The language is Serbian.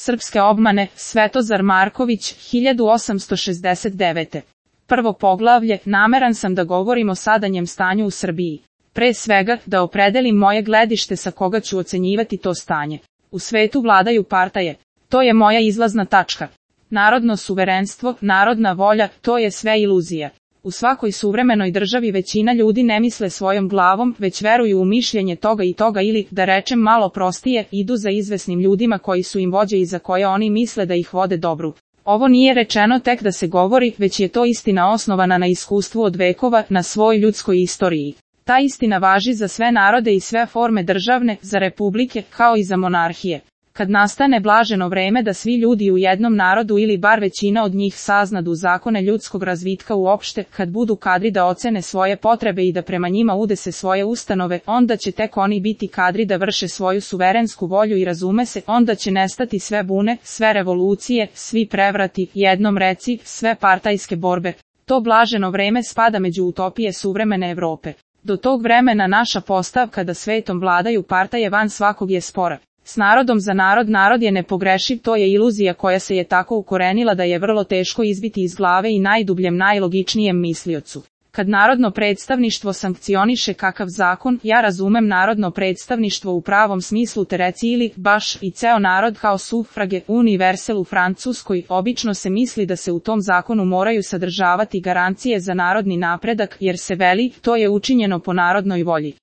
Srpske obmane, Svetozar Marković, 1869. Prvo poglavlje, nameran sam da govorim o sadanjem stanju u Srbiji. Pre svega, da opredelim moje gledište sa koga ću ocenjivati to stanje. U svetu vladaju partaje. To je moja izlazna tačka. Narodno suverenstvo, narodna volja, to je sve iluzija. U svakoj suvremenoj državi većina ljudi ne misle svojom glavom, već veruju u mišljenje toga i toga ili, da rečem malo prostije, idu za izvesnim ljudima koji su im vođe i za koje oni misle da ih vode dobru. Ovo nije rečeno tek da se govori, već je to istina osnovana na iskustvu od vekova, na svoj ljudskoj istoriji. Ta istina važi za sve narode i sve forme državne, za republike, kao i za monarhije. Kad nastane blaženo vreme da svi ljudi u jednom narodu ili bar većina od njih saznadu zakone ljudskog razvitka uopšte, kad budu kadri da ocene svoje potrebe i da prema njima udese svoje ustanove, onda će tek oni biti kadri da vrše svoju suverensku volju i razume se, onda će nestati sve bune, sve revolucije, svi prevrati, jednom reci, sve partajske borbe. To blaženo vreme spada među utopije suvremene Evrope. Do tog vremena naša postavka da svetom vladaju partaje van svakog je spora. S narodom za narod je nepogrešiv, to je iluzija koja se je tako ukorenila da je vrlo teško izbiti iz glave i najdubljem najlogičnijem misliocu. Kad narodno predstavništvo sankcioniše kakav zakon, ja razumem narodno predstavništvo u pravom smislu te reci ili, baš, i ceo narod kao sufrage, universel u Francuskoj, obično se misli da se u tom zakonu moraju sadržavati garancije za narodni napredak, jer se veli, to je učinjeno po narodnoj volji.